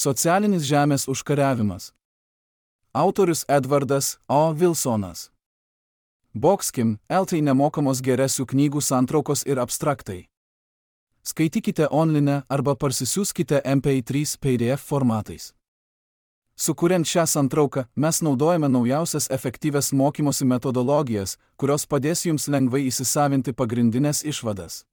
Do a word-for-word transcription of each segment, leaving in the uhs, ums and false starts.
Socialinis žemės užkariavimas. Autorius Edvardas O. Wilsonas. Boxkim, Eltai nemokamos geresių knygų santraukos ir abstraktai. Skaitykite online arba parsisiųskite M P trys P D F formatais. Sukuriant šią santrauką, mes naudojame naujausias efektyvias mokymosi metodologijas, kurios padės jums lengvai įsisavinti pagrindinės išvadas.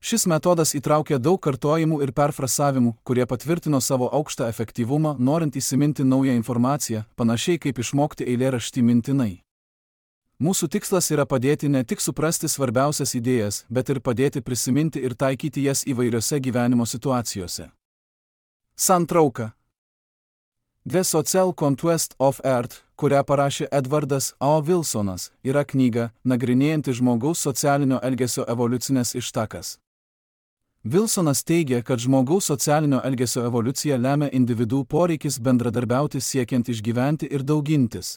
Šis metodas įtraukia daug kartojimų ir perfrasavimų, kurie patvirtino savo aukštą efektyvumą, norint įsiminti naują informaciją, panašiai kaip išmokti eilėraštį mintinai. Mūsų tikslas yra padėti ne tik suprasti svarbiausias idėjas, bet ir padėti prisiminti ir taikyti jas įvairiose gyvenimo situacijose. Santrauka. The Social Conquest of Earth, kurią parašė Edvardas O. Wilsonas, yra knyga, nagrinėjanti žmogaus socialinio elgesio evoliucinės ištakas. Wilsonas teigia, kad žmogaus socialinio elgesio evoliuciją lemia individų poreikis bendradarbiauti siekiant išgyventi ir daugintis.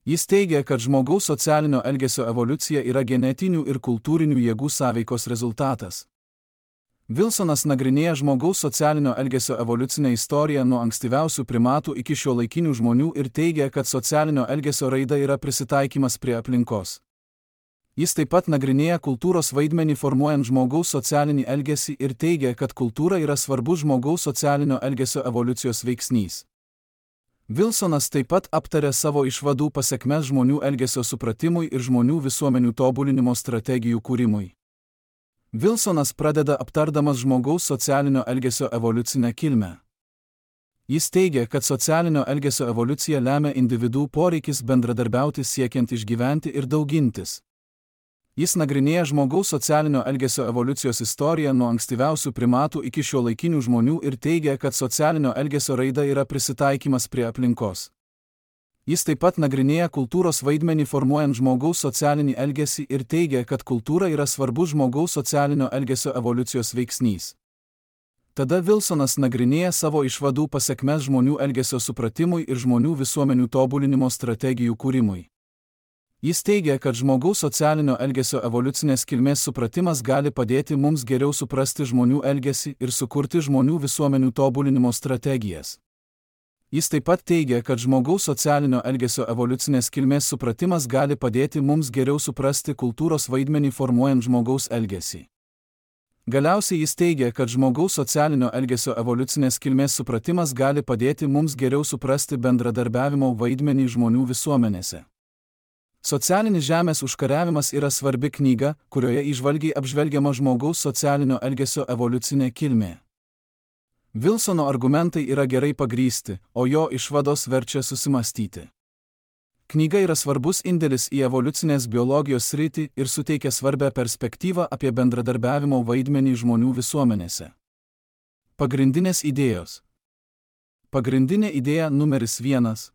Jis teigia, kad žmogaus socialinio elgesio evoliucija yra genetinių ir kultūrinių jėgų sąveikos rezultatas. Wilsonas nagrinėja žmogaus socialinio elgesio evoliucinę istoriją nuo ankstyviausių primatų iki šiuolaikinių žmonių ir teigia, kad socialinio elgesio raida yra prisitaikymas prie aplinkos. Jis taip pat nagrinėja kultūros vaidmenį formuojant žmogaus socialinį elgesį ir teigia, kad kultūra yra svarbus žmogaus socialinio elgesio evoliucijos veiksnys. Wilsonas taip pat aptarė savo išvadų pasekmes žmonių elgesio supratimui ir žmonių visuomenių tobulinimo strategijų kūrimui. Wilsonas pradeda aptardamas žmogaus socialinio elgesio evoliucinę kilmę. Jis teigia, kad socialinio elgesio evoliuciją lemia individų poreikis bendradarbiauti siekiant išgyventi ir daugintis. Jis nagrinėja žmogaus socialinio elgesio evoliucijos istoriją nuo ankstyviausių primatų iki šiuolaikinių žmonių ir teigia, kad socialinio elgesio raida yra prisitaikymas prie aplinkos. Jis taip pat nagrinėja kultūros vaidmenį formuojant žmogaus socialinį elgesį ir teigia, kad kultūra yra svarbus žmogaus socialinio elgesio evoliucijos veiksnys. Tada Wilsonas nagrinėja savo išvadų pasekmes žmonių elgesio supratimui ir žmonių visuomenių tobulinimo strategijų kūrimui. Jis teigia, kad žmogaus socialinio elgesio evoliucinės kilmės supratimas gali padėti mums geriau suprasti žmonių elgesį ir sukurti žmonių visuomenių tobulinimo strategijas. Jis taip pat teigia, kad žmogaus socialinio elgesio evoliucinės kilmės supratimas gali padėti mums geriau suprasti kultūros vaidmenį formuojant žmogaus elgesį. Galiausiai jis teigia, kad žmogaus socialinio elgesio evoliucinės kilmės supratimas gali padėti mums geriau suprasti bendradarbiavimo vaidmenį žmonių visuomenėse. Socialinis žemės užkariavimas yra svarbi knyga, kurioje įžvalgiai apžvelgiama žmogaus socialinio elgesio evoliucinė kilmė. Wilsono argumentai yra gerai pagrįsti, o jo išvados verčia susimastyti. Knyga yra svarbus indėlis į evoliucinės biologijos sritį ir suteikia svarbią perspektyvą apie bendradarbiavimo vaidmenį žmonių visuomenėse. Pagrindinės idėjos. Pagrindinė idėja numeris vienas.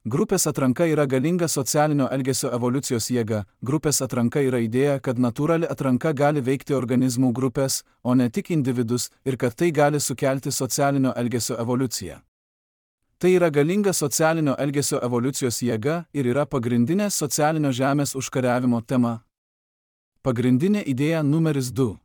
Grupės atranka yra galinga socialinio elgesio evoliucijos jėga. Grupės atranka yra idėja, kad natūrali atranka gali veikti organizmų grupės, o ne tik individus, ir kad tai gali sukelti socialinio elgesio evoliuciją. Tai yra galinga socialinio elgesio evoliucijos jėga ir yra pagrindinė socialinio žemės užkariavimo tema. Pagrindinė idėja numeris du.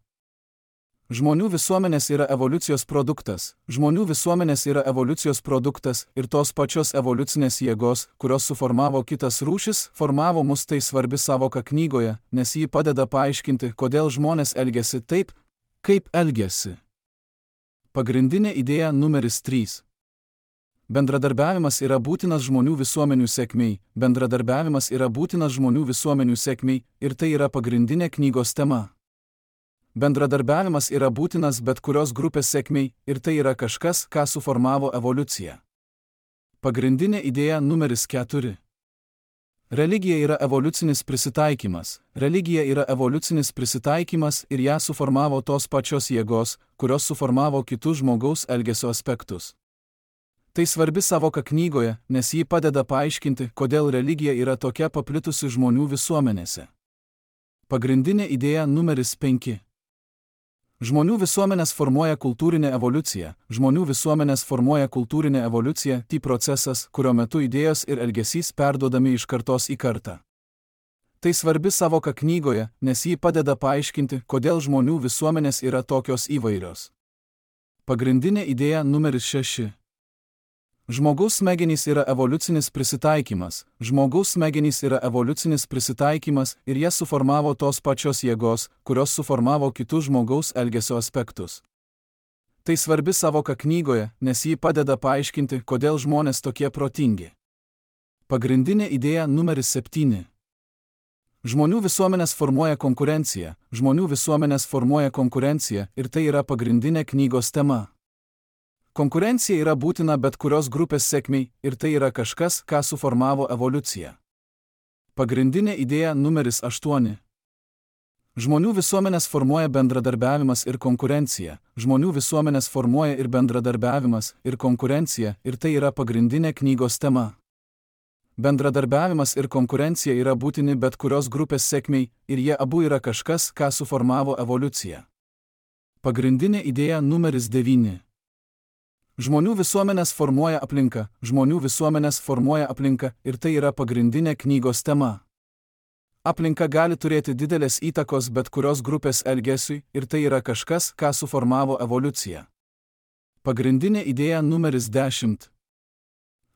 Žmonių visuomenės yra evoliucijos produktas. Žmonių visuomenės yra evoliucijos produktas ir tos pačios evoliucinės jėgos, kurios suformavo kitas rūšis, formavo mus. Tai svarbi savoka knygoje, nes ji padeda paaiškinti, kodėl žmonės elgiasi taip, kaip elgiasi. Pagrindinė idėja numeris trys. Bendradarbiavimas yra būtinas žmonių visuomenių sėkmei. Bendradarbiavimas yra būtinas žmonių visuomenių sėkmei ir tai yra pagrindinė knygos tema. Bendradarbiavimas yra būtinas bet kurios grupės sėkmei ir tai yra kažkas, ką suformavo evoliucija. Pagrindinė idėja numeris keturi. Religija yra evoliucinis prisitaikymas. Religija yra evoliucinis prisitaikymas ir ją suformavo tos pačios jėgos, kurios suformavo kitus žmogaus elgesio aspektus. Tai svarbi savoka knygoje, nes ji padeda paaiškinti, kodėl religija yra tokia paplitusi žmonių visuomenėse. Pagrindinė idėja numeris penki. Žmonių visuomenės formuoja kultūrinę evoliuciją. Žmonių visuomenės formuoja kultūrinę evoliuciją, tai procesas, kurio metu idėjos ir elgesys perduodami iš kartos į kartą. Tai svarbi savoka knygoje, nes ji padeda paaiškinti, kodėl žmonių visuomenės yra tokios įvairios. Pagrindinė idėja numeris šeši. Žmogaus smegenys yra evoliucinis prisitaikymas. Žmogaus smegenys yra evoliucinis prisitaikymas ir jas suformavo tos pačios jėgos, kurios suformavo kitus žmogaus elgesio aspektus. Tai svarbi savoka knygoje, nes ji padeda paaiškinti, kodėl žmonės tokie protingi. Pagrindinė idėja numeris septyni. Žmonių visuomenės formuoja konkurencija, žmonių visuomenės formuoja konkurencija ir tai yra pagrindinė knygos tema. Konkurencija yra būtina bet kurios grupės sėkmei ir tai yra kažkas, ką suformavo evoliucija. Pagrindinė idėja numeris aštuoni. Žmonių visuomenės formuoja bendradarbiavimas ir konkurencija, žmonių visuomenės formuoja ir bendradarbiavimas ir konkurencija ir tai yra pagrindinė knygos tema. Bendradarbiavimas ir konkurencija yra būtini bet kurios grupės sėkmei ir jie abu yra kažkas, ką suformavo evoliucija. Pagrindinė idėja numeris devyni. Žmonių visuomenės formuoja aplinka, žmonių visuomenės formuoja aplinka ir tai yra pagrindinė knygos tema. Aplinka gali turėti didelės įtakos bet kurios grupės elgesiui ir tai yra kažkas, ką suformavo evoliucija. Pagrindinė idėja numeris dešimt.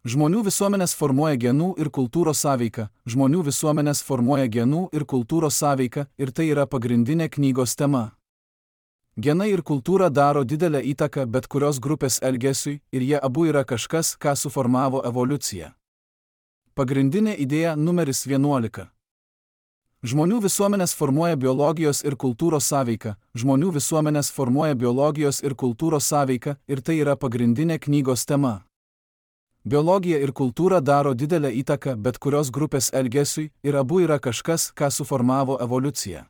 Žmonių visuomenės formuoja genų ir kultūros sąveiką, žmonių visuomenės formuoja genų ir kultūros sąveiką ir tai yra pagrindinė knygos tema. Genai ir kultūra daro didelę įtaką bet kurios grupės elgesiui ir jie abu yra kažkas, ką suformavo evoliucija. Pagrindinė idėja numeris vienuolika. Žmonių visuomenės formuoja biologijos ir kultūros sąveiką, žmonių visuomenės formuoja biologijos ir kultūros sąveiką ir tai yra pagrindinė knygos tema. Biologija ir kultūra daro didelę įtaką bet kurios grupės elgesiui ir abu yra kažkas, ką suformavo evoliucija.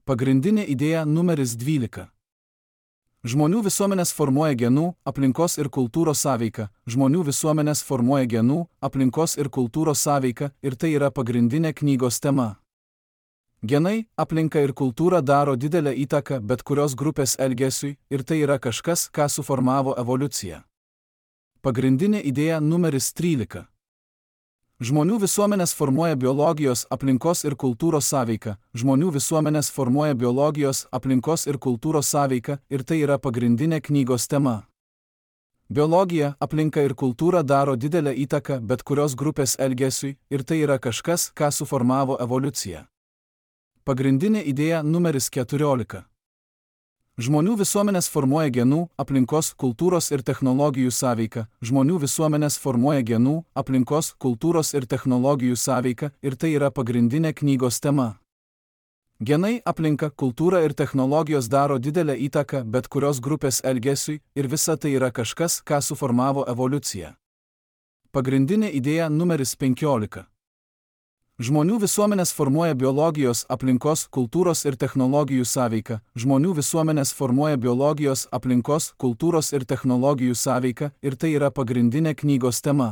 Pagrindinė idėja numeris dvylika. Žmonių visuomenės formuoja genų, aplinkos ir kultūros sąveiką, žmonių visuomenės formuoja genų, aplinkos ir kultūros sąveiką ir tai yra pagrindinė knygos tema. Genai, aplinka ir kultūra daro didelę įtaką bet kurios grupės elgesiui ir tai yra kažkas, ką suformavo evoliucija. Pagrindinė idėja numeris trylika. Žmonių visuomenės formuoja biologijos, aplinkos ir kultūros sąveiką, žmonių visuomenės formuoja biologijos, aplinkos ir kultūros sąveiką ir tai yra pagrindinė knygos tema. Biologija, aplinka ir kultūra daro didelę įtaką bet kurios grupės elgesiui ir tai yra kažkas, ką suformavo evoliucija. Pagrindinė idėja numeris keturiolika. Žmonių visuomenės formuoja genų, aplinkos, kultūros ir technologijų sąveiką, žmonių visuomenės formuoja genų, aplinkos, kultūros ir technologijų sąveiką ir tai yra pagrindinė knygos tema. Genai, aplinka, kultūra ir technologijos daro didelę įtaką bet kurios grupės elgesiui ir visa tai yra kažkas, ką suformavo evoliucija. Pagrindinė idėja numeris penkiolika. Žmonių visuomenės formuoja biologijos, aplinkos, kultūros ir technologijų sąveiką, žmonių visuomenės formuoja biologijos, aplinkos, kultūros ir technologijų sąveiką ir tai yra pagrindinė knygos tema.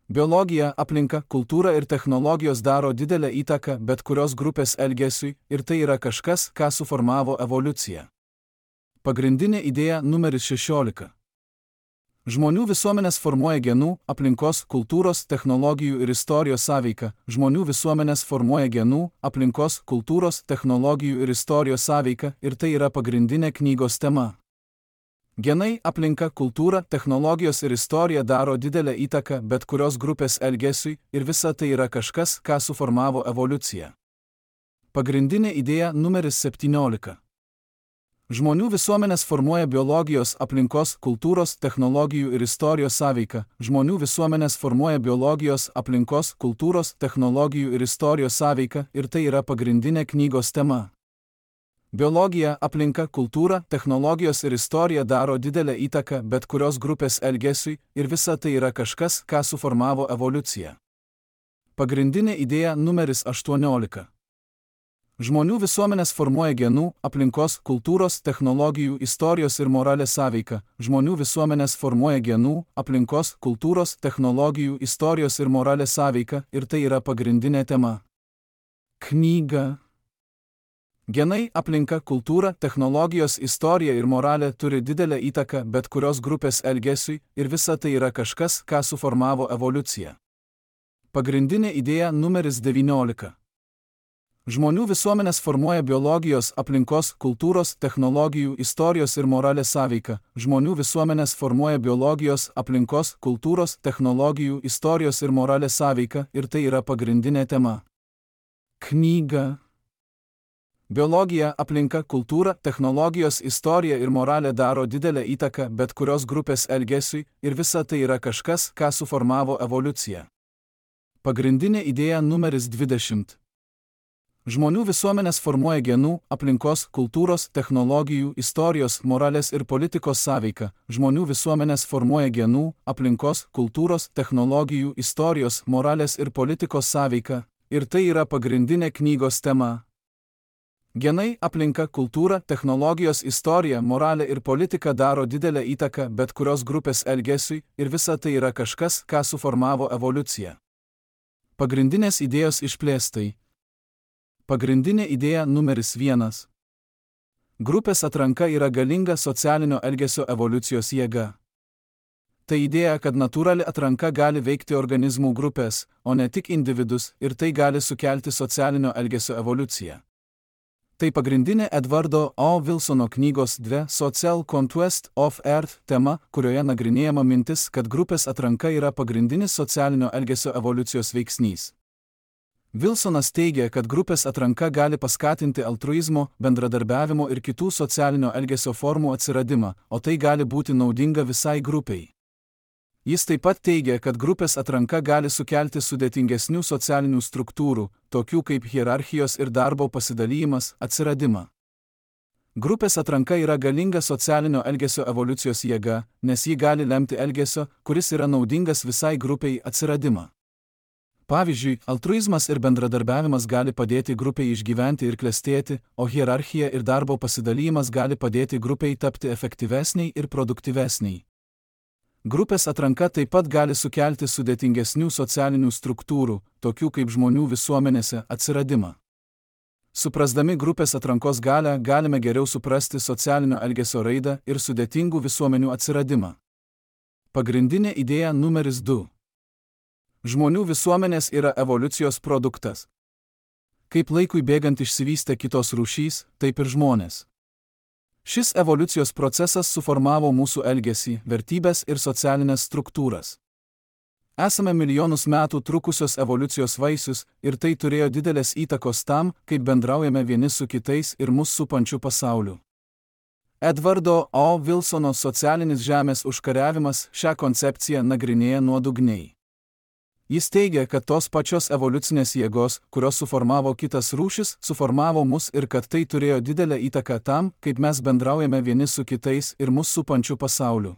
Biologija, aplinka, kultūra ir technologijos daro didelę įtaką bet kurios grupės elgesiui ir tai yra kažkas, ką suformavo evoliucija. Pagrindinė idėja numeris šešiolika. Žmonių visuomenės formuoja genų, aplinkos, kultūros, technologijų ir istorijos sąveiką, žmonių visuomenės formuoja genų, aplinkos, kultūros, technologijų ir istorijos sąveiką ir tai yra pagrindinė knygos tema. Genai, aplinka, kultūra, technologijos ir istorija daro didelę įtaką bet kurios grupės elgesiui ir visa tai yra kažkas, ką suformavo evoliucija. Pagrindinė idėja numeris septyniolika. Žmonių visuomenės formuoja biologijos, aplinkos, kultūros, technologijų ir istorijos sąveiką, žmonių visuomenės formuoja biologijos, aplinkos, kultūros, technologijų ir istorijos sąveiką ir tai yra pagrindinė knygos tema. Biologija, aplinka, kultūra, technologijos ir istorija daro didelę įtaką bet kurios grupės elgesiui ir visa tai yra kažkas, ką suformavo evoliucija. Pagrindinė idėja numeris aštuoniolika. Žmonių visuomenės formuoja genų, aplinkos, kultūros, technologijų, istorijos ir moralės sąveiką, žmonių visuomenės formuoja genų, aplinkos, kultūros, technologijų, istorijos ir moralės sąveiką ir tai yra pagrindinė tema. Knyga. Genai, aplinka, kultūra, technologijos, istorija ir moralė turi didelę įtaką bet kurios grupės elgesiui ir visa tai yra kažkas, ką suformavo evoliucija. Pagrindinė idėja numeris devyniolika. Žmonių visuomenės formuoja biologijos, aplinkos, kultūros, technologijų, istorijos ir moralės sąveika. Žmonių visuomenės formuoja biologijos, aplinkos, kultūros, technologijų, istorijos ir moralės sąveika ir tai yra pagrindinė tema. Knyga. Biologija, aplinka, kultūra, technologijos, istorija ir moralė daro didelę įtaką bet kurios grupės elgesiui ir visa tai yra kažkas, ką suformavo evoliucija. Pagrindinė idėja numeris dvidešimt. Žmonių visuomenės formuoja genų, aplinkos, kultūros, technologijų, istorijos, moralės ir politikos sąveika. Žmonių visuomenės formuoja genų, aplinkos, kultūros, technologijų, istorijos, moralės ir politikos sąveika. Ir tai yra pagrindinė knygos tema. Genai, aplinka, kultūra, technologijos, istorija, moralė ir politika daro didelę įtaką bet kurios grupės elgesiui ir visa tai yra kažkas, ką suformavo evoliucija. Pagrindinės idėjos išplėstai. Pagrindinė idėja numeris vienas. Grupės atranka yra galinga socialinio elgesio evoliucijos jėga. Tai idėja, kad natūrali atranka gali veikti organizmų grupės, o ne tik individus, ir tai gali sukelti socialinio elgesio evoliuciją. Tai pagrindinė Edvardo O. Wilsono knygos The Social Conquest of Earth tema, kurioje nagrinėjama mintis, kad grupės atranka yra pagrindinis socialinio elgesio evoliucijos veiksnys. Wilsonas teigia, kad grupės atranka gali paskatinti altruizmo, bendradarbiavimo ir kitų socialinio elgesio formų atsiradimą, o tai gali būti naudinga visai grupiai. Jis taip pat teigia, kad grupės atranka gali sukelti sudėtingesnių socialinių struktūrų, tokių kaip hierarchijos ir darbo pasidalymas, atsiradimą. Grupės atranka yra galinga socialinio elgesio evoliucijos jėga, nes ji gali lemti elgesio, kuris yra naudingas visai grupiai, atsiradimą. Pavyzdžiui, altruizmas ir bendradarbiavimas gali padėti grupiai išgyventi ir klestėti, o hierarchija ir darbo pasidalymas gali padėti grupiai tapti efektyvesniai ir produktyvesniai. Grupės atranka taip pat gali sukelti sudėtingesnių socialinių struktūrų, tokių kaip žmonių visuomenėse, atsiradimą. Suprasdami grupės atrankos galią, galime geriau suprasti socialinio elgesio raidą ir sudėtingų visuomenių atsiradimą. Pagrindinė idėja numeris du. Žmonių visuomenės yra evoliucijos produktas. Kaip laikui bėgant išsivystė kitos rūšys, taip ir žmonės. Šis evoliucijos procesas suformavo mūsų elgesį, vertybės ir socialinės struktūras. Esame milijonus metų trukusios evoliucijos vaisius ir tai turėjo didelės įtakos tam, kaip bendraujame vieni su kitais ir mus supančiu pasauliu. Edvardo O. Wilsono socialinis žemės užkariavimas šią koncepciją nagrinėja nuodugniai. Jis teigia, kad tos pačios evoliucinės jėgos, kurios suformavo kitas rūšis, suformavo mus ir kad tai turėjo didelę įtaką tam, kaip mes bendraujame vieni su kitais ir mus supančiu pasauliu.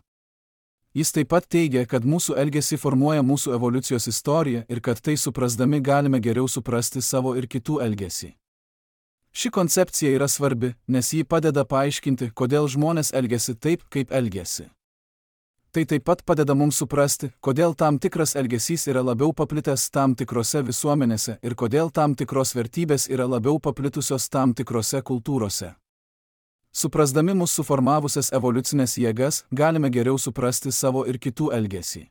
Jis taip pat teigia, kad mūsų elgesį formuoja mūsų evoliucijos istorija ir kad tai suprasdami galime geriau suprasti savo ir kitų elgesį. Ši koncepcija yra svarbi, nes ji padeda paaiškinti, kodėl žmonės elgiasi taip, kaip elgiasi. Tai taip pat padeda mums suprasti, kodėl tam tikras elgesys yra labiau paplitęs tam tikrose visuomenėse ir kodėl tam tikros vertybės yra labiau paplitusios tam tikrose kultūrose. Suprasdami mūsų suformavusias evoliucinės jėgas, galime geriau suprasti savo ir kitų elgesį.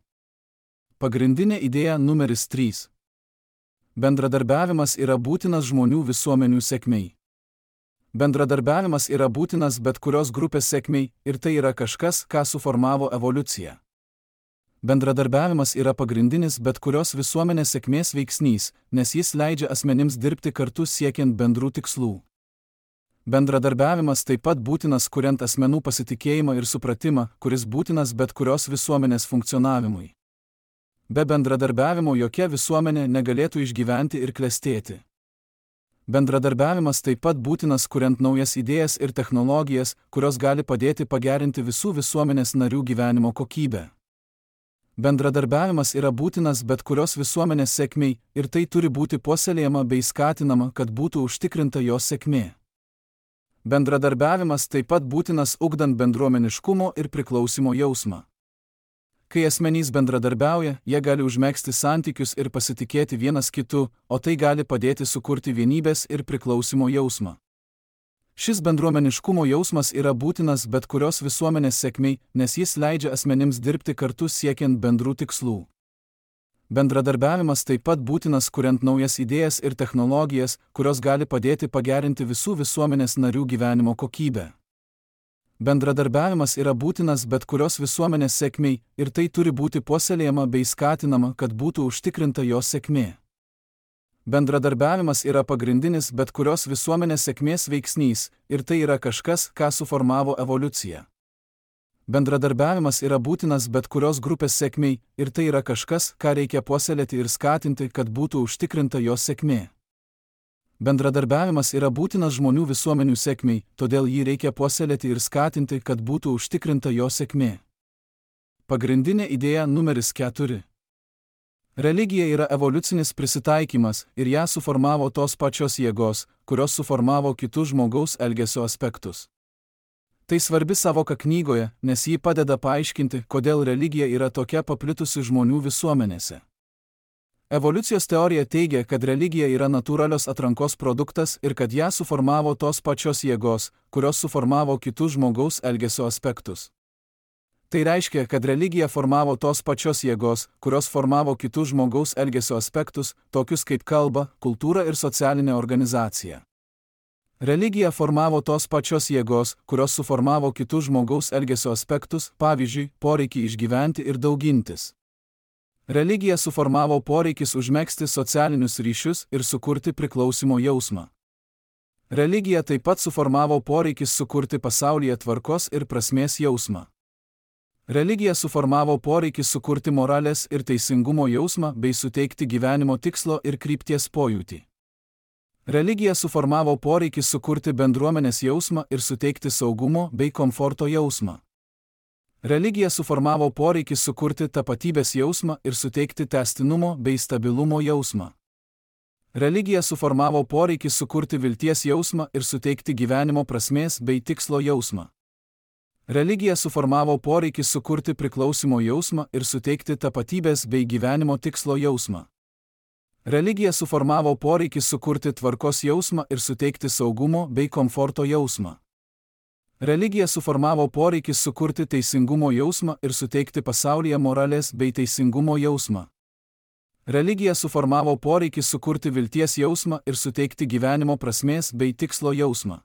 Pagrindinė idėja numeris trys. Bendradarbiavimas yra būtinas žmonių visuomenių sėkmei. Bendradarbiavimas yra būtinas bet kurios grupės sėkmei ir tai yra kažkas, ką suformavo evoliucija. Bendradarbiavimas yra pagrindinis bet kurios visuomenės sėkmės veiksnys, nes jis leidžia asmenims dirbti kartu siekiant bendrų tikslų. Bendradarbiavimas taip pat būtinas kuriant asmenų pasitikėjimą ir supratimą, kuris būtinas bet kurios visuomenės funkcionavimui. Be bendradarbiavimo jokia visuomenė negalėtų išgyventi ir klestėti. Bendradarbiavimas taip pat būtinas kuriant naujas idėjas ir technologijas, kurios gali padėti pagerinti visų visuomenės narių gyvenimo kokybę. Bendradarbiavimas yra būtinas bet kurios visuomenės sėkmei ir tai turi būti puoselėjama bei skatinama, kad būtų užtikrinta jos sėkmė. Bendradarbiavimas taip pat būtinas ugdant bendruomeniškumo ir priklausimo jausmą. Kai asmenys bendradarbiauja, jie gali užmegzti santykius ir pasitikėti vienas kitu, o tai gali padėti sukurti vienybės ir priklausimo jausmą. Šis bendruomeniškumo jausmas yra būtinas bet kurios visuomenės sėkmei, nes jis leidžia asmenims dirbti kartu siekiant bendrų tikslų. Bendradarbiavimas taip pat būtinas kuriant naujas idėjas ir technologijas, kurios gali padėti pagerinti visų visuomenės narių gyvenimo kokybę. Bendradarbiavimas yra būtinas bet kurios visuomenės sėkmei ir tai turi būti puoselėjama bei skatinama, kad būtų užtikrinta jos sėkmė. Bendradarbiavimas yra pagrindinis bet kurios visuomenės sėkmės veiksnys ir tai yra kažkas, ką suformavo evoliucija. Bendradarbiavimas yra būtinas bet kurios grupės sėkmei ir tai yra kažkas, ką reikia puoselėti ir skatinti, kad būtų užtikrinta jos sėkmė. Bendradarbiavimas yra būtinas žmonių visuomenių sėkmei, todėl jį reikia puoselėti ir skatinti, kad būtų užtikrinta jos sėkmė. Pagrindinė idėja numeris keturi. Religija yra evoliucinis prisitaikymas ir ją suformavo tos pačios jėgos, kurios suformavo kitus žmogaus elgesio aspektus. Tai svarbi savoka knygoje, nes ji padeda paaiškinti, kodėl religija yra tokia paplitusi žmonių visuomenėse. Evoliucijos teorija teigia, kad religija yra natūralios atrankos produktas ir kad ją suformavo tos pačios jėgos, kurios suformavo kitus žmogaus elgesio aspektus. Tai reiškia, kad religija formavo tos pačios jėgos, kurios formavo kitus žmogaus elgesio aspektus, tokius kaip kalba, kultūra ir socialinė organizacija. Religija formavo tos pačios jėgos, kurios suformavo kitus žmogaus elgesio aspektus, pavyzdžiui, poreikį išgyventi ir daugintis. Religija suformavo poreikis užmegzti socialinius ryšius ir sukurti priklausimo jausmą. Religija taip pat suformavo poreikis sukurti pasaulyje tvarkos ir prasmės jausmą. Religija suformavo poreikis sukurti moralės ir teisingumo jausmą bei suteikti gyvenimo tikslo ir krypties pojūtį. Religija suformavo poreikį sukurti bendruomenės jausmą ir suteikti saugumo bei komforto jausmą. Religija suformavo poreikį sukurti tapatybės jausmą ir suteikti tęstinumo bei stabilumo jausmą. Religija suformavo poreikį sukurti vilties jausmą ir suteikti gyvenimo prasmės bei tikslo jausmą. Religija suformavo poreikį sukurti priklausimo jausmą ir suteikti tapatybės bei gyvenimo tikslo jausmą. Religija suformavo poreikį sukurti tvarkos jausmą ir suteikti saugumo bei komforto jausmą. Religija suformavo poreikį sukurti teisingumo jausmą ir suteikti pasaulyje moralės bei teisingumo jausmą. Religija suformavo poreikį sukurti vilties jausmą ir suteikti gyvenimo prasmės bei tikslo jausmą.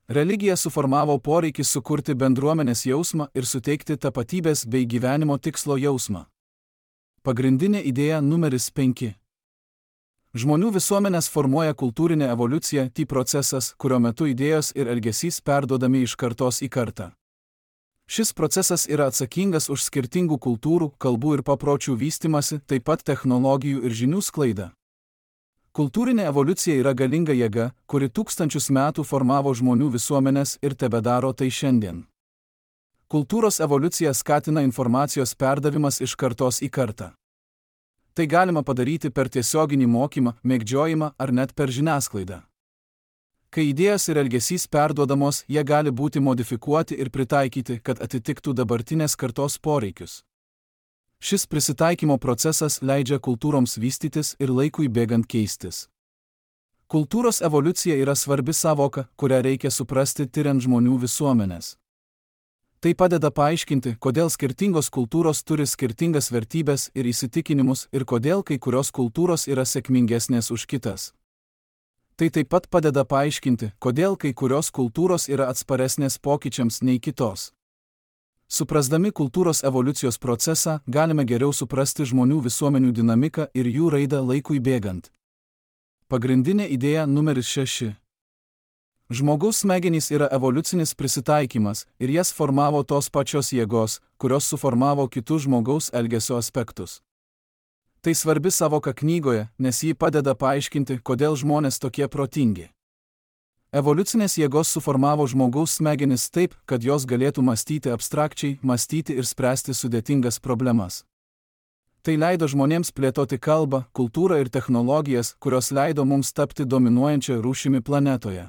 Religija suformavo poreikį sukurti bendruomenės jausmą ir suteikti tapatybės bei gyvenimo tikslo jausmą. Pagrindinė idėja numeris penki. Žmonių visuomenės formuoja kultūrinė evoliucija, tai procesas, kurio metu idėjos ir elgesys perduodami iš kartos į kartą. Šis procesas yra atsakingas už skirtingų kultūrų, kalbų ir papročių vystymasi, taip pat technologijų ir žinių sklaidą. Kultūrinė evoliucija yra galinga jėga, kuri tūkstančius metų formavo žmonių visuomenės ir tebedaro tai šiandien. Kultūros evoliucija skatina informacijos perdavimas iš kartos į kartą. Tai galima padaryti per tiesioginį mokymą, mėgdžiojimą ar net per žiniasklaidą. Kai idėjos ir elgesys perduodamos, jie gali būti modifikuoti ir pritaikyti, kad atitiktų dabartinės kartos poreikius. Šis prisitaikymo procesas leidžia kultūroms vystytis ir laikui bėgant keistis. Kultūros evoliucija yra svarbi savoka, kurią reikia suprasti tiriant žmonių visuomenės. Tai padeda paaiškinti, kodėl skirtingos kultūros turi skirtingas vertybės ir įsitikinimus ir kodėl kai kurios kultūros yra sėkmingesnės už kitas. Tai taip pat padeda paaiškinti, kodėl kai kurios kultūros yra atsparesnės pokyčiams nei kitos. Suprasdami kultūros evoliucijos procesą, galime geriau suprasti žmonių visuomenių dinamiką ir jų raidą laikui bėgant. Pagrindinė idėja numeris šeši. Žmogaus smegenys yra evoliucinis prisitaikymas ir jas formavo tos pačios jėgos, kurios suformavo kitus žmogaus elgesio aspektus. Tai svarbi savoka knygoje, nes ji padeda paaiškinti, kodėl žmonės tokie protingi. Evoliucinės jėgos suformavo žmogaus smegenis taip, kad jos galėtų mąstyti abstrakčiai, mąstyti ir spręsti sudėtingas problemas. Tai leido žmonėms plėtoti kalbą, kultūrą ir technologijas, kurios leido mums tapti dominuojančią rūšimi planetoje.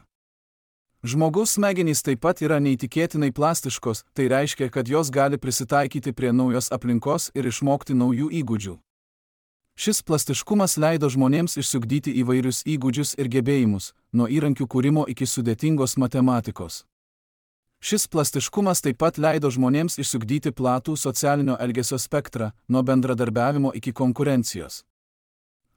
Žmogaus smegenys taip pat yra neįtikėtinai plastiškos, tai reiškia, kad jos gali prisitaikyti prie naujos aplinkos ir išmokti naujų įgūdžių. Šis plastiškumas leido žmonėms išsiugdyti įvairius įgūdžius ir gebėjimus, nuo įrankių kūrimo iki sudėtingos matematikos. Šis plastiškumas taip pat leido žmonėms išsiugdyti platų socialinio elgesio spektrą, nuo bendradarbiavimo iki konkurencijos.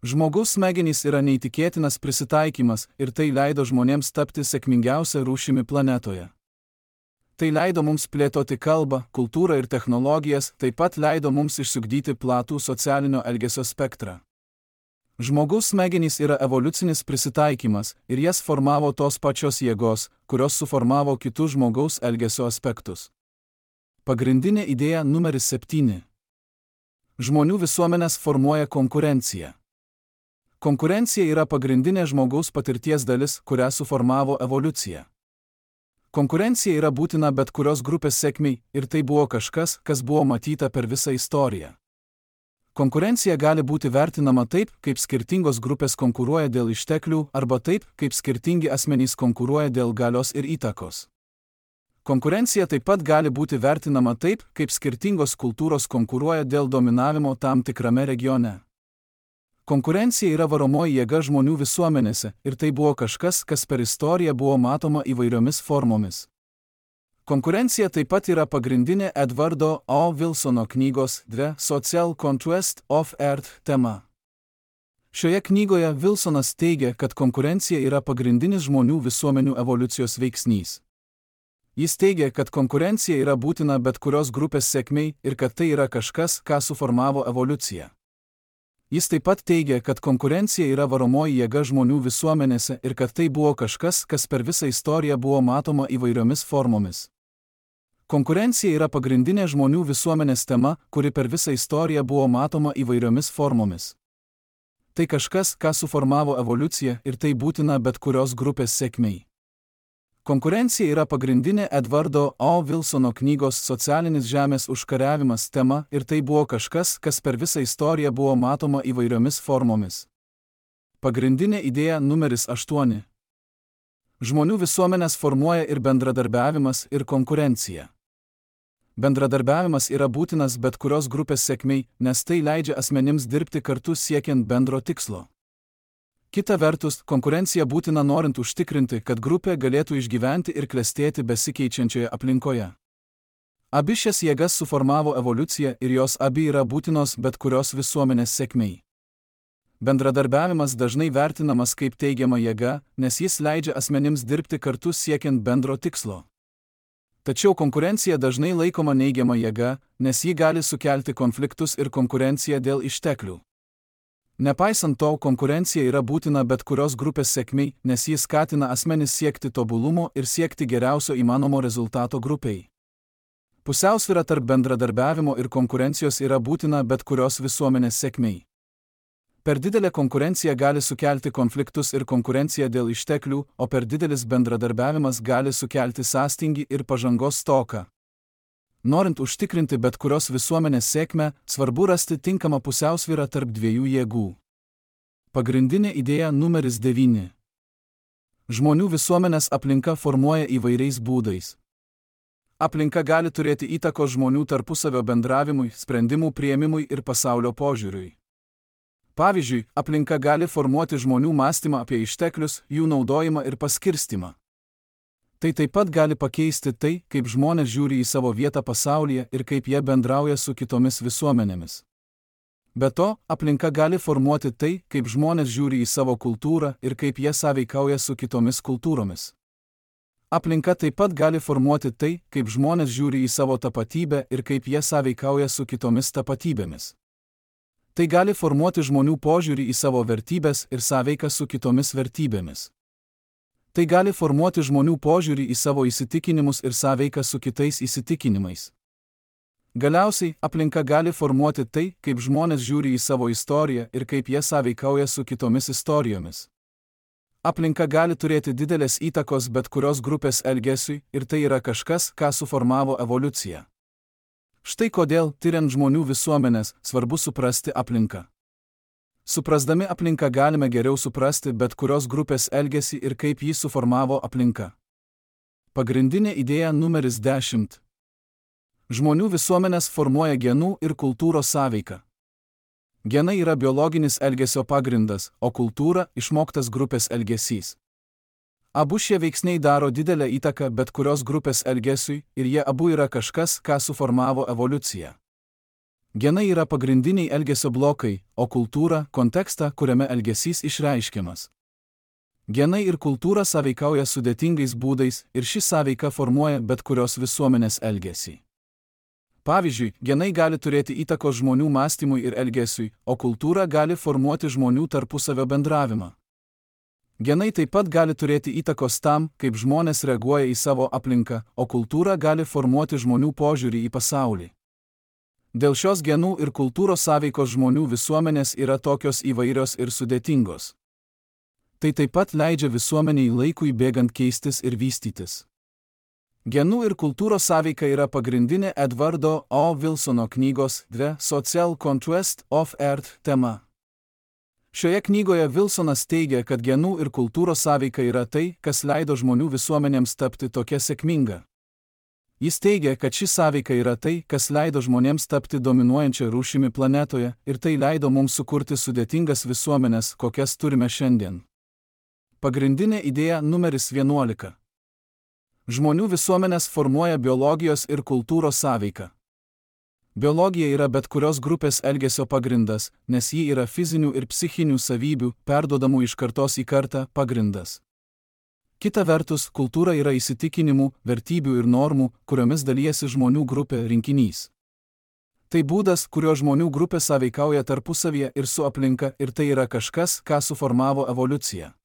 Žmogaus smegenys yra neįtikėtinas prisitaikymas ir tai leido žmonėms tapti sėkmingiausia rūšimi planetoje. Tai leido mums plėtoti kalbą, kultūrą ir technologijas, taip pat leido mums išsiugdyti platų socialinio elgesio spektrą. Žmogaus smegenys yra evoliucinis prisitaikymas ir jas formavo tos pačios jėgos, kurios suformavo kitus žmogaus elgesio aspektus. Pagrindinė idėja numeris septyni. Žmonių visuomenės formuoja konkurencija. Konkurencija yra pagrindinė žmogaus patirties dalis, kurią suformavo evoliucija. Konkurencija yra būtina bet kurios grupės sėkmei ir tai buvo kažkas, kas buvo matyta per visą istoriją. Konkurencija gali būti vertinama taip, kaip skirtingos grupės konkuruoja dėl išteklių, arba taip, kaip skirtingi asmenys konkuruoja dėl galios ir įtakos. Konkurencija taip pat gali būti vertinama taip, kaip skirtingos kultūros konkuruoja dėl dominavimo tam tikrame regione. Konkurencija yra varomoji jėga žmonių visuomenėse ir tai buvo kažkas, kas per istoriją buvo matoma įvairiomis formomis. Konkurencija taip pat yra pagrindinė Edvardo O. Wilsono knygos The Social Conquest of Earth tema. Šioje knygoje Wilsonas teigia, kad konkurencija yra pagrindinis žmonių visuomenių evoliucijos veiksnys. Jis teigia, kad konkurencija yra būtina bet kurios grupės sėkmei ir kad tai yra kažkas, ką suformavo evoliucija. Jis taip pat teigia, kad konkurencija yra varomoji jėga žmonių visuomenėse ir kad tai buvo kažkas, kas per visą istoriją buvo matoma įvairiomis formomis. Konkurencija yra pagrindinė žmonių visuomenės tema, kuri per visą istoriją buvo matoma įvairiomis formomis. Tai kažkas, ką suformavo evoliucija ir tai būtina bet kurios grupės sėkmei. Konkurencija yra pagrindinė Edvardo O. Wilsono knygos Socialinis žemės užkariavimas tema ir tai buvo kažkas, kas per visą istoriją buvo matoma įvairiomis formomis. Pagrindinė idėja numeris aštuoni. Žmonių visuomenės formuoja ir bendradarbiavimas, ir konkurencija. Bendradarbiavimas yra būtinas bet kurios grupės sėkmei, nes tai leidžia asmenims dirbti kartu siekiant bendro tikslo. Kita vertus, konkurencija būtina norint užtikrinti, kad grupė galėtų išgyventi ir klestėti besikeičiančioje aplinkoje. Abi šias jėgas suformavo evoliucija ir jos abi yra būtinos bet kurios visuomenės sėkmei. Bendradarbiavimas dažnai vertinamas kaip teigiama jėga, nes jis leidžia asmenims dirbti kartu siekiant bendro tikslo. Tačiau konkurencija dažnai laikoma neigiama jėga, nes ji gali sukelti konfliktus ir konkurenciją dėl išteklių. Nepaisant to, konkurencija yra būtina bet kurios grupės sėkmei, nes ji skatina asmenis siekti tobulumo ir siekti geriausio įmanomo rezultato grupiai. Pusiausvyra tarp bendradarbiavimo ir konkurencijos yra būtina bet kurios visuomenės sėkmei. Per didelė konkurencija gali sukelti konfliktus ir konkurenciją dėl išteklių, o per didelis bendradarbiavimas gali sukelti sąstingį ir pažangos stoką. Norint užtikrinti bet kurios visuomenės sėkmę, svarbu rasti tinkamą pusiausvyrą tarp dviejų jėgų. Pagrindinė idėja numeris devyni. Žmonių visuomenės aplinka formuoja įvairiais būdais. Aplinka gali turėti įtakos žmonių tarpusavio bendravimui, sprendimų priėmimui ir pasaulio požiūriui. Pavyzdžiui, aplinka gali formuoti žmonių mąstymą apie išteklius, jų naudojimą ir paskirstimą. Tai taip pat gali pakeisti tai, kaip žmonės žiūri į savo vietą pasaulyje ir kaip jie bendrauja su kitomis visuomenėmis. Be to, aplinka gali formuoti tai, kaip žmonės žiūri į savo kultūrą ir kaip jie sąveikauja su kitomis kultūromis. Aplinka taip pat gali formuoti tai, kaip žmonės žiūri į savo tapatybę ir kaip jie sąveikauja su kitomis tapatybėmis. Tai gali formuoti žmonių požiūrį į savo vertybes ir sąveiką su kitomis vertybėmis. Tai gali formuoti žmonių požiūrį į savo įsitikinimus ir sąveiką su kitais įsitikinimais. Galiausiai, aplinka gali formuoti tai, kaip žmonės žiūri į savo istoriją ir kaip jie sąveikauja su kitomis istorijomis. Aplinka gali turėti didelės įtakos bet kurios grupės elgesiui ir tai yra kažkas, ką suformavo evoliucija. Štai kodėl, tyriant žmonių visuomenės, svarbu suprasti aplinką. Suprasdami aplinką galime geriau suprasti bet kurios grupės elgesį ir kaip jį suformavo aplinka. Pagrindinė idėja numeris dešimt. Žmonių visuomenės formuoja genų ir kultūros sąveiką. Genai yra biologinis elgesio pagrindas, o kultūra – išmoktas grupės elgesys. Abu šie veiksniai daro didelę įtaką bet kurios grupės elgesiui ir jie abu yra kažkas, ką suformavo evoliucija. Genai yra pagrindiniai elgesio blokai, o kultūra – kontekstą, kuriame elgesys išreiškiamas. Genai ir kultūra sąveikauja sudėtingais būdais ir ši sąveika formuoja bet kurios visuomenės elgesį. Pavyzdžiui, genai gali turėti įtakos žmonių mąstymui ir elgesiui, o kultūra gali formuoti žmonių tarpusavio bendravimą. Genai taip pat gali turėti įtakos tam, kaip žmonės reaguoja į savo aplinką, o kultūra gali formuoti žmonių požiūrį į pasaulį. Dėl šios genų ir kultūros sąveikos žmonių visuomenės yra tokios įvairios ir sudėtingos. Tai taip pat leidžia visuomeniai laikui bėgant keistis ir vystytis. Genų ir kultūros sąveika yra pagrindinė Edvardo O. Wilsono knygos The Social Contrast of Earth tema. Šioje knygoje Wilsonas teigia, kad genų ir kultūros sąveika yra tai, kas leido žmonių visuomenėms tapti tokia sėkminga. Jis teigia, kad ši sąveika yra tai, kas leido žmonėms tapti dominuojančią rūšimi planetoje ir tai leido mums sukurti sudėtingas visuomenės, kokias turime šiandien. Pagrindinė idėja numeris vienuolika. Žmonių visuomenės formuoja biologijos ir kultūros sąveika. Biologija yra bet kurios grupės elgesio pagrindas, nes ji yra fizinių ir psichinių savybių, perduodamų iš kartos į kartą, pagrindas. Kita vertus, kultūra yra įsitikinimų, vertybių ir normų, kuriomis dalijasi žmonių grupė rinkinys. Tai būdas, kurio žmonių grupė sąveikauja tarpusavyje ir su aplinka, ir tai yra kažkas, ką suformavo evoliucija.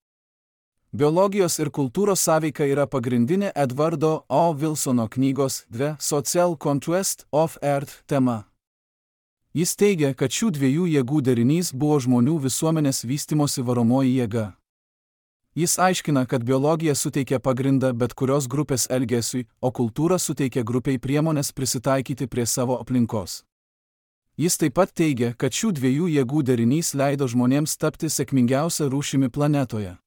Biologijos ir kultūros sąveika yra pagrindinė Edvardo O. Wilsono knygos The Social Contrast of Earth tema. Jis teigia, kad šių dviejų jėgų derinys buvo žmonių visuomenės vystimosi varomoji jėga. Jis aiškina, kad biologija suteikia pagrindą bet kurios grupės elgesiui, o kultūra suteikia grupiai priemonės prisitaikyti prie savo aplinkos. Jis taip pat teigia, kad šių dviejų jėgų derinys leido žmonėms tapti sėkmingiausia rūšimi planetoje.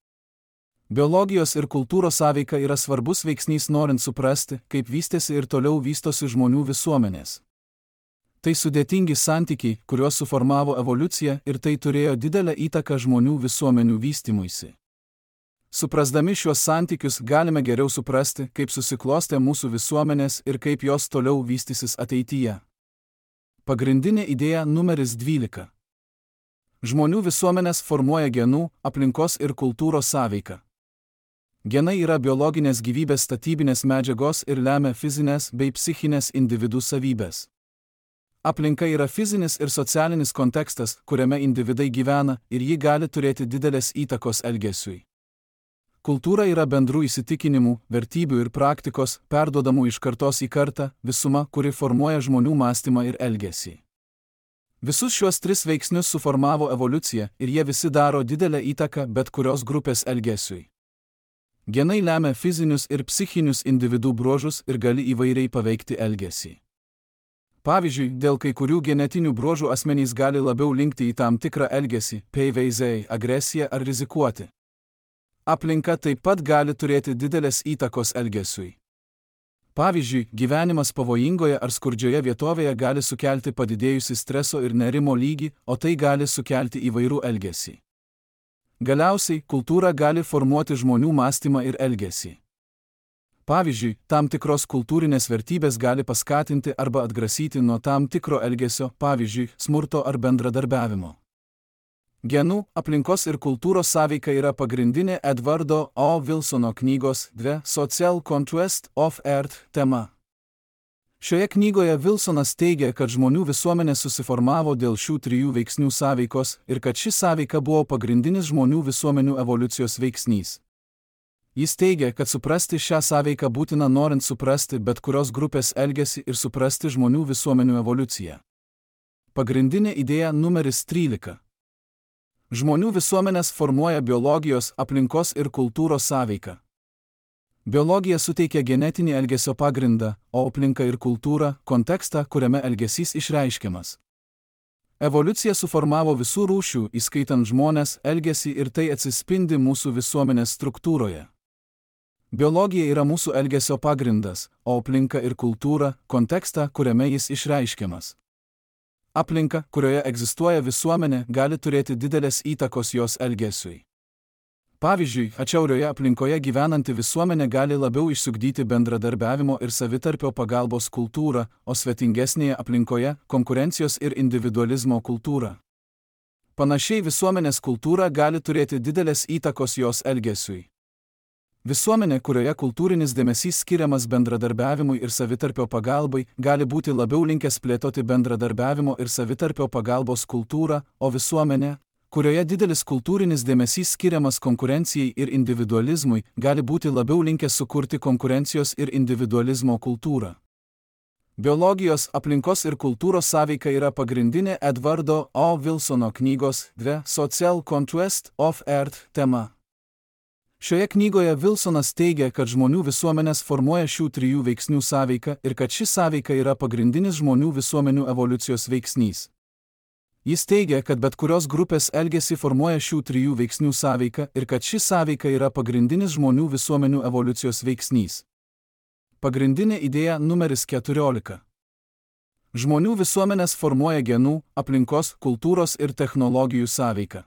Biologijos ir kultūros sąveika yra svarbus veiksnys norint suprasti, kaip vystėsi ir toliau vystosi žmonių visuomenės. Tai sudėtingi santykiai, kuriuos suformavo evoliucija ir tai turėjo didelę įtaką žmonių visuomenių vystymuisi. Suprasdami šiuos santykius galime geriau suprasti, kaip susiklostė mūsų visuomenės ir kaip jos toliau vystysis ateityje. Pagrindinė idėja numeris dvylika. Žmonių visuomenės formuoja genų, aplinkos ir kultūros sąveiką. Genai yra biologinės gyvybės statybinės medžiagos ir lemia fizinės bei psichinės individų savybės. Aplinka yra fizinis ir socialinis kontekstas, kuriame individai gyvena ir ji gali turėti didelės įtakos elgesiui. Kultūra yra bendrų įsitikinimų, vertybių ir praktikos, perduodamų iš kartos į kartą, visuma, kuri formuoja žmonių mąstymą ir elgesį. Visus šiuos tris veiksnius suformavo evoliucija ir jie visi daro didelę įtaką bet kurios grupės elgesiui. Genai lemia fizinius ir psichinius individų bruožus ir gali įvairiai paveikti elgesį. Pavyzdžiui, dėl kai kurių genetinių bruožų asmenys gali labiau linkti į tam tikrą elgesį, peiveizei, agresiją ar rizikuoti. Aplinka taip pat gali turėti didelės įtakos elgesiui. Pavyzdžiui, gyvenimas pavojingoje ar skurdžioje vietovėje gali sukelti padidėjusi streso ir nerimo lygį, o tai gali sukelti įvairų elgesį. Galiausiai, kultūra gali formuoti žmonių mąstymą ir elgesį. Pavyzdžiui, tam tikros kultūrinės vertybės gali paskatinti arba atgrasyti nuo tam tikro elgesio, pavyzdžiui, smurto ar bendradarbiavimo. Genų, aplinkos ir kultūros sąveika yra pagrindinė Edvardo O. Wilsono knygos The Social Contrast of Earth tema. Šioje knygoje Wilsonas teigia, kad žmonių visuomenė susiformavo dėl šių trijų veiksnių sąveikos ir kad ši sąveika buvo pagrindinis žmonių visuomenių evoliucijos veiksnys. Jis teigia, kad suprasti šią sąveiką būtina norint suprasti bet kurios grupės elgesį ir suprasti žmonių visuomenių evoliuciją. Pagrindinė idėja numeris trylika. Žmonių visuomenės formuoja biologijos, aplinkos ir kultūros sąveiką. Biologija suteikia genetinį elgesio pagrindą, o aplinka ir kultūra – kontekstą, kuriame elgesys išreiškiamas. Evoliucija suformavo visų rūšių, įskaitant žmones, elgesį ir tai atsispindi mūsų visuomenės struktūroje. Biologija yra mūsų elgesio pagrindas, o aplinka ir kultūra – kontekstą, kuriame jis išreiškiamas. Aplinka, kurioje egzistuoja visuomenė, gali turėti didelės įtakos jos elgesiui. Pavyzdžiui, atšiaurioje aplinkoje gyvenanti visuomenė gali labiau išsiugdyti bendradarbiavimo ir savitarpio pagalbos kultūrą, o svetingesnėje aplinkoje – konkurencijos ir individualizmo kultūrą. Panašiai visuomenės kultūra gali turėti didelės įtakos jos elgesiui. Visuomenė, kurioje kultūrinis dėmesys skiriamas bendradarbiavimui ir savitarpio pagalbai, gali būti labiau linkęs plėtoti bendradarbiavimo ir savitarpio pagalbos kultūrą, o visuomenė, kurioje didelis kultūrinis dėmesys skiriamas konkurencijai ir individualizmui, gali būti labiau linkęs sukurti konkurencijos ir individualizmo kultūrą. Biologijos, aplinkos ir kultūros sąveika yra pagrindinė Edvardo O. Wilsono knygos The Social Contrast of Earth tema. Šioje knygoje Wilsonas teigia, kad žmonių visuomenės formuoja šių trijų veiksnių sąveiką ir kad ši sąveika yra pagrindinis žmonių visuomenių evoliucijos veiksnys. Jis teigia, kad bet kurios grupės elgesį formuoja šių trijų veiksnių sąveika ir kad ši sąveika yra pagrindinis žmonių visuomenių evoliucijos veiksnys. Pagrindinė idėja numeris keturiolika. Žmonių visuomenės formuoja genų, aplinkos, kultūros ir technologijų sąveiką.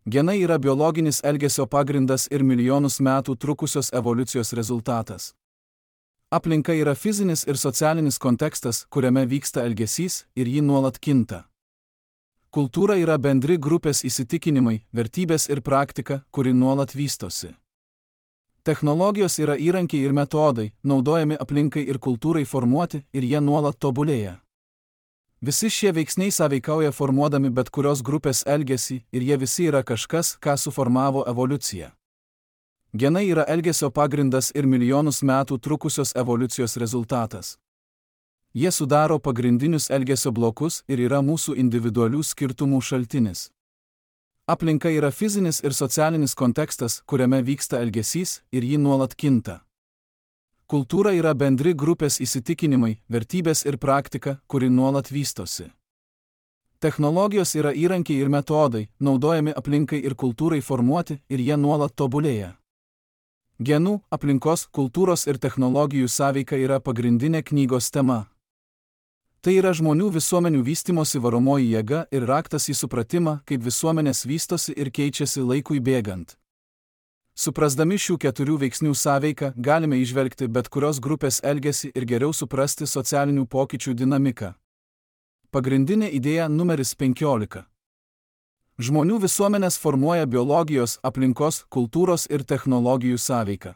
Genai yra biologinis elgesio pagrindas ir milijonus metų trukusios evoliucijos rezultatas. Aplinka yra fizinis ir socialinis kontekstas, kuriame vyksta elgesys ir jį nuolat kinta. Kultūra yra bendri grupės įsitikinimai, vertybės ir praktika, kuri nuolat vystosi. Technologijos yra įrankiai ir metodai, naudojami aplinkai ir kultūrai formuoti ir jie nuolat tobulėja. Visi šie veiksniai sąveikauja formuodami bet kurios grupės elgesį ir jie visi yra kažkas, ką suformavo evoliucija. Genai yra elgesio pagrindas ir milijonus metų trukusios evoliucijos rezultatas. Jie sudaro pagrindinius elgesio blokus ir yra mūsų individualių skirtumų šaltinis. Aplinka yra fizinis ir socialinis kontekstas, kuriame vyksta elgesys ir jį nuolat kinta. Kultūra yra bendri grupės įsitikinimai, vertybės ir praktika, kuri nuolat vystosi. Technologijos yra įrankiai ir metodai, naudojami aplinkai ir kultūrai formuoti ir jie nuolat tobulėja. Genų, aplinkos, kultūros ir technologijų sąveika yra pagrindinė knygos tema. Tai yra žmonių visuomenių vystymosi varomoji jėga ir raktas į supratimą, kaip visuomenės vystosi ir keičiasi laikui bėgant. Suprasdami šių keturių veiksnių sąveiką, galime įžvelgti bet kurios grupės elgesį ir geriau suprasti socialinių pokyčių dinamiką. Pagrindinė idėja numeris penkiolika. Žmonių visuomenės formuoja biologijos, aplinkos, kultūros ir technologijų sąveiką.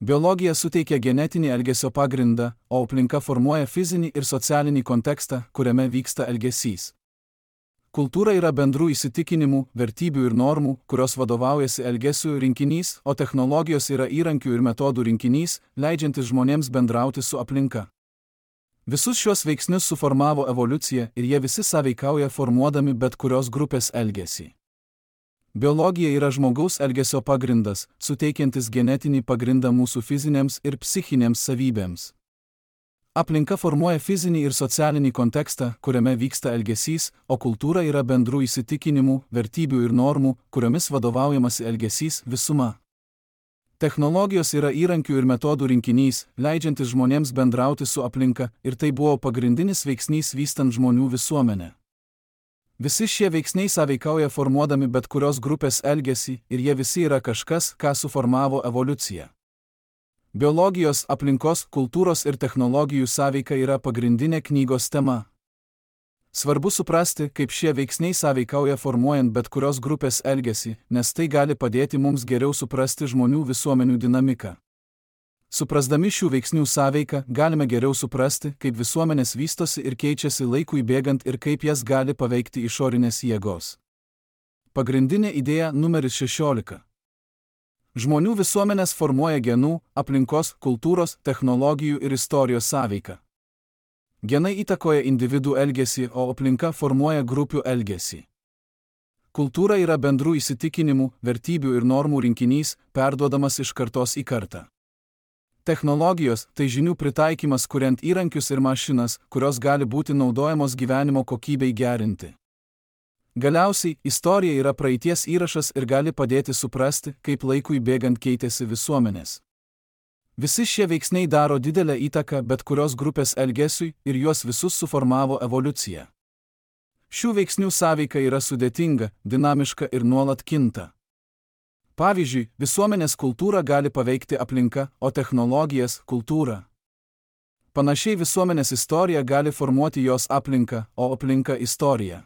Biologija suteikia genetinį elgesio pagrindą, o aplinka formuoja fizinį ir socialinį kontekstą, kuriame vyksta elgesys. Kultūra yra bendrų įsitikinimų, vertybių ir normų, kurios vadovaujasi elgesių rinkinys, o technologijos yra įrankių ir metodų rinkinys, leidžiantis žmonėms bendrauti su aplinka. Visus šios veiksnius suformavo evoliucija ir jie visi sąveikauja formuodami bet kurios grupės elgesį. Biologija yra žmogaus elgesio pagrindas, suteikiantis genetinį pagrindą mūsų fizinėms ir psichinėms savybėms. Aplinka formuoja fizinį ir socialinį kontekstą, kuriame vyksta elgesys, o kultūra yra bendrų įsitikinimų, vertybių ir normų, kuriomis vadovaujamasi elgesys visuma. Technologijos yra įrankių ir metodų rinkinys, leidžiantis žmonėms bendrauti su aplinka, ir tai buvo pagrindinis veiksnys vystant žmonių visuomenę. Visi šie veiksniai sąveikauja formuodami bet kurios grupės elgesį ir jie visi yra kažkas, ką suformavo evoliucija. Biologijos, aplinkos, kultūros ir technologijų sąveika yra pagrindinė knygos tema. Svarbu suprasti, kaip šie veiksniai sąveikauja formuojant bet kurios grupės elgesį, nes tai gali padėti mums geriau suprasti žmonių visuomenių dinamiką. Suprasdami šių veiksnių sąveiką, galime geriau suprasti, kaip visuomenės vystosi ir keičiasi laikui bėgant ir kaip jas gali paveikti išorinės jėgos. Pagrindinė idėja numeris šešiolika. Žmonių visuomenės formuoja genų, aplinkos, kultūros, technologijų ir istorijos sąveiką. Genai įtakoja individų elgesį, o aplinka formuoja grupių elgesį. Kultūra yra bendrų įsitikinimų, vertybių ir normų rinkinys, perduodamas iš kartos į kartą. Technologijos – tai žinių pritaikymas kuriant įrankius ir mašinas, kurios gali būti naudojamos gyvenimo kokybei gerinti. Galiausiai, istorija yra praeities įrašas ir gali padėti suprasti, kaip laikui bėgant keitėsi visuomenės. Visi šie veiksniai daro didelę įtaką bet kurios grupės elgesiui ir juos visus suformavo evoliucija. Šių veiksnių sąveika yra sudėtinga, dinamiška ir nuolat kinta. Pavyzdžiui, visuomenės kultūrą gali paveikti aplinka, o technologijas – kultūrą. Panašiai visuomenės istorija gali formuoti jos aplinką, o aplinka – istoriją.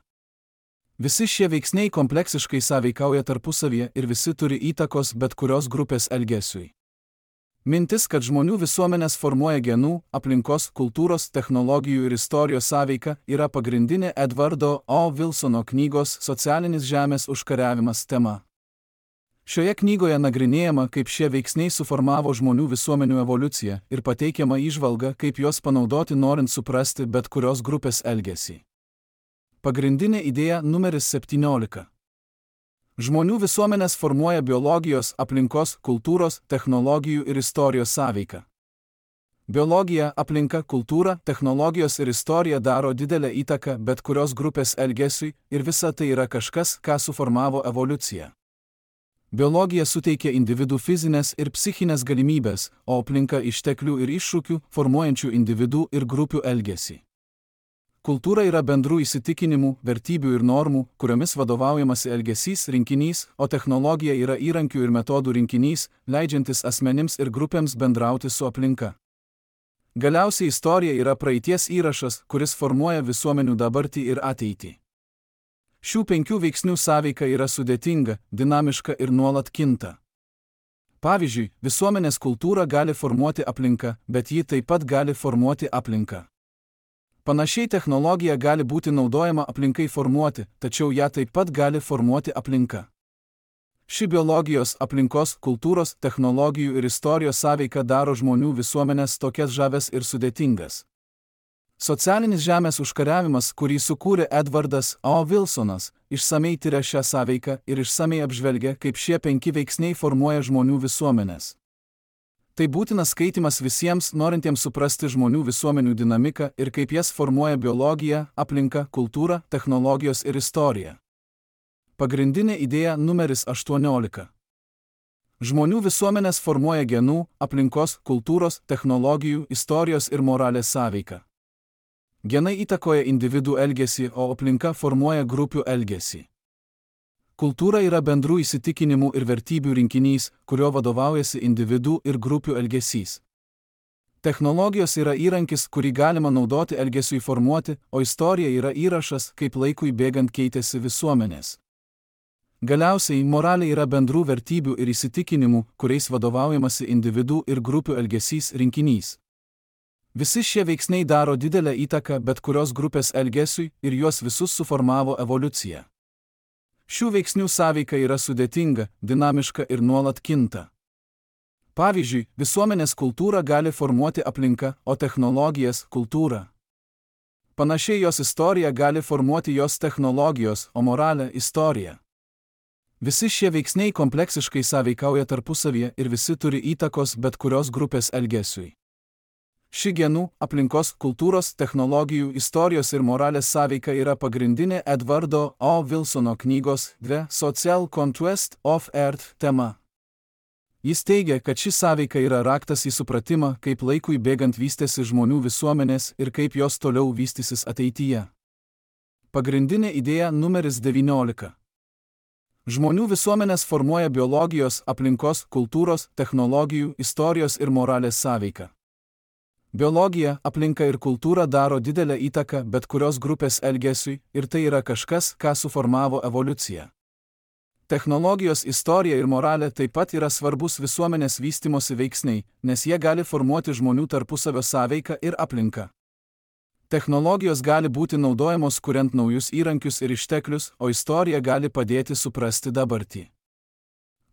Visi šie veiksniai kompleksiškai sąveikauja tarpusavyje ir visi turi įtakos bet kurios grupės elgesiui. Mintis, kad žmonių visuomenės formuoja genų, aplinkos, kultūros, technologijų ir istorijos sąveika, yra pagrindinė Edvardo O. Wilsono knygos Socialinis žemės užkariavimas tema. Šioje knygoje nagrinėjama, kaip šie veiksniai suformavo žmonių visuomenių evoliuciją ir pateikiama įžvalga, kaip juos panaudoti norint suprasti bet kurios grupės elgesį. Pagrindinė idėja numeris septyniolika. Žmonių visuomenės formuoja biologijos, aplinkos, kultūros, technologijų ir istorijos sąveiką. Biologija, aplinka, kultūra, technologijos ir istorija daro didelę įtaką bet kurios grupės elgesiui ir visa tai yra kažkas, ką suformavo evoliucija. Biologija suteikia individų fizinės ir psichinės galimybės, o aplinka išteklių ir iššūkių, formuojančių individų ir grupių elgesį. Kultūra yra bendrų įsitikinimų, vertybių ir normų, kuriomis vadovaujamasi elgesys rinkinys, o technologija yra įrankių ir metodų rinkinys, leidžiantis asmenims ir grupėms bendrauti su aplinka. Galiausiai istorija yra praeities įrašas, kuris formuoja visuomenių dabartį ir ateitį. Šių penkių veiksnių sąveika yra sudėtinga, dinamiška ir nuolat kinta. Pavyzdžiui, visuomenės kultūra gali formuoti aplinką, bet ji taip pat gali formuoti aplinką. Panašiai technologija gali būti naudojama aplinkai formuoti, tačiau ją taip pat gali formuoti aplinka. Ši biologijos, aplinkos, kultūros, technologijų ir istorijos sąveika daro žmonių visuomenės tokias žavias ir sudėtingas. Socialinis žemės užkariavimas, kurį sukūrė Edvardas O. Wilsonas, išsamei tyria šią sąveiką ir išsamei apžvelgia, kaip šie penki veiksniai formuoja žmonių visuomenės. Tai būtinas skaitimas visiems, norintiems suprasti žmonių visuomenių dinamiką ir kaip jas formuoja biologija, aplinka, kultūra, technologijos ir istorija. Pagrindinė idėja numeris aštuoniolika. Žmonių visuomenės formuoja genų, aplinkos, kultūros, technologijų, istorijos ir moralės sąveiką. Genai įtakoja individų elgesį, o aplinka formuoja grupių elgesį. Kultūra yra bendrų įsitikinimų ir vertybių rinkinys, kurio vadovaujasi individų ir grupių elgesys. Technologijos yra įrankis, kurį galima naudoti elgesiui formuoti, o istorija yra įrašas, kaip laikui bėgant keitėsi visuomenės. Galiausiai, moralė yra bendrų vertybių ir įsitikinimų, kuriais vadovaujamasi individų ir grupių elgesys rinkinys. Visi šie veiksniai daro didelę įtaką bet kurios grupės elgesiui ir juos visus suformavo evoliucija. Šių veiksnių sąveika yra sudėtinga, dinamiška ir nuolat kinta. Pavyzdžiui, visuomenės kultūra gali formuoti aplinką, o technologijas – kultūrą. Panašiai jos istorija gali formuoti jos technologijos, o moralę – istoriją. Visi šie veiksniai kompleksiškai sąveikauja tarpusavyje ir visi turi įtakos bet kurios grupės elgesiui. Ši genų, aplinkos, kultūros, technologijų, istorijos ir moralės sąveika yra pagrindinė Edvardo O. Wilsono knygos The Social Conquest of Earth tema. Jis teigia, kad ši sąveika yra raktas į supratimą, kaip laikui bėgant vystėsi žmonių visuomenės ir kaip jos toliau vystysis ateityje. Pagrindinė idėja numeris devyniolika. Žmonių visuomenės formuoja biologijos, aplinkos, kultūros, technologijų, istorijos ir moralės sąveika. Biologija, aplinka ir kultūra daro didelę įtaką bet kurios grupės elgesiui ir tai yra kažkas, ką suformavo evoliucija. Technologijos, istorija ir moralė taip pat yra svarbus visuomenės vystymosi veiksniai, nes jie gali formuoti žmonių tarpusavio sąveiką ir aplinką. Technologijos gali būti naudojamos kuriant naujus įrankius ir išteklius, o istorija gali padėti suprasti dabartį.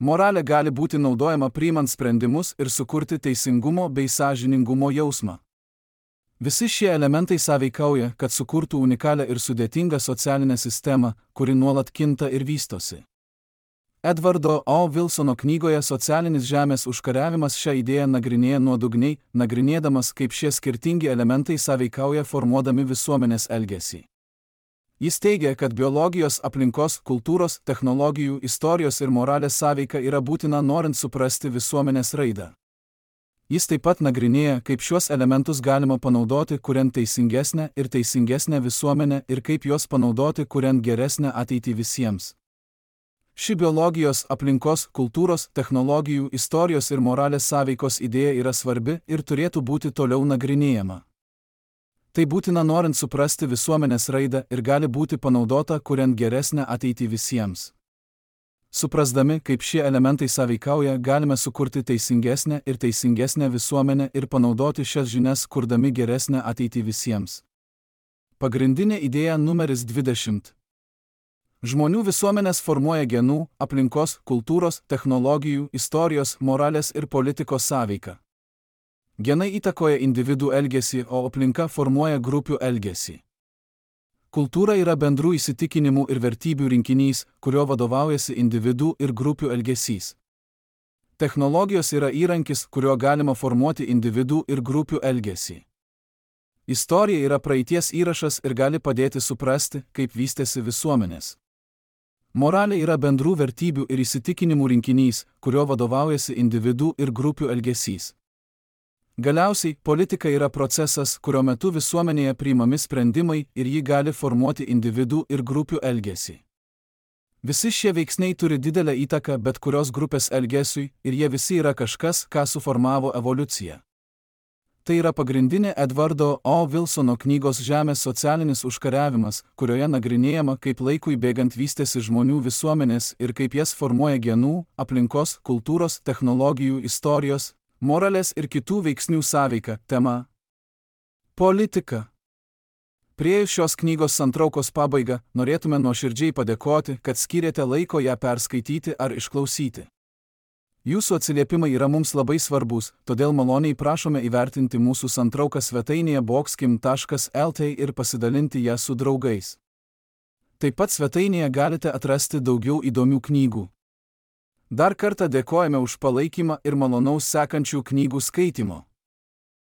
Moralė gali būti naudojama priimant sprendimus ir sukurti teisingumo bei sąžiningumo jausmą. Visi šie elementai sąveikauja, kad sukurtų unikalią ir sudėtingą socialinę sistemą, kuri nuolat kinta ir vystosi. Edvardo O. Wilsono knygoje Socialinis žemės užkariavimas šią idėją nagrinėja nuodugniai, nagrinėdamas, kaip šie skirtingi elementai sąveikauja formuodami visuomenės elgesį. Jis teigia, kad biologijos, aplinkos, kultūros, technologijų, istorijos ir moralės sąveika yra būtina norint suprasti visuomenės raidą. Jis taip pat nagrinėja, kaip šiuos elementus galima panaudoti kuriant teisingesnę ir teisingesnę visuomenę ir kaip juos panaudoti kuriant geresnę ateitį visiems. Ši biologijos, aplinkos, kultūros, technologijų, istorijos ir moralės sąveikos idėja yra svarbi ir turėtų būti toliau nagrinėjama. Tai būtina norint suprasti visuomenės raidą ir gali būti panaudota kuriant geresnę ateitį visiems. Suprasdami, kaip šie elementai sąveikauja, galime sukurti teisingesnę ir teisingesnę visuomenę ir panaudoti šias žinias, kurdami geresnę ateitį visiems. Pagrindinė idėja numeris dvidešimt. Žmonių visuomenės formuoja genų, aplinkos, kultūros, technologijų, istorijos, moralės ir politikos sąveiką. Genai įtakoja individų elgesį, o aplinka formuoja grupių elgesį. Kultūra yra bendrų įsitikinimų ir vertybių rinkinys, kurio vadovaujasi individų ir grupių elgesys. Technologijos yra įrankis, kuriuo galima formuoti individų ir grupių elgesį. Istorija yra praeities įrašas ir gali padėti suprasti, kaip vystėsi visuomenės. Moralė yra bendrų vertybių ir įsitikinimų rinkinys, kurio vadovaujasi individų ir grupių elgesys. Galiausiai, politika yra procesas, kurio metu visuomenėje priimami sprendimai ir ji gali formuoti individų ir grupių elgesį. Visi šie veiksniai turi didelę įtaką bet kurios grupės elgesiui ir jie visi yra kažkas, ką suformavo evoliucija. Tai yra pagrindinė Edvardo O. Wilsono knygos Žemės socialinis užkariavimas, kurioje nagrinėjama, kaip laikui bėgant vystėsi žmonių visuomenės ir kaip jas formuoja genų, aplinkos, kultūros, technologijų, istorijos, moralės ir kitų veiksnių sąveika. Tema: politika. Priėjus šios knygos santraukos pabaigą, norėtume nuoširdžiai padėkoti, kad skyrėte laiko ją perskaityti ar išklausyti. Jūsų atsiliepimai yra mums labai svarbus, todėl maloniai prašome įvertinti mūsų santrauką svetainėje boxkim taškas el t ir pasidalinti ją su draugais. Taip pat svetainėje galite atrasti daugiau įdomių knygų. Dar kartą dėkojame už palaikymą ir malonaus sekančių knygų skaitimo.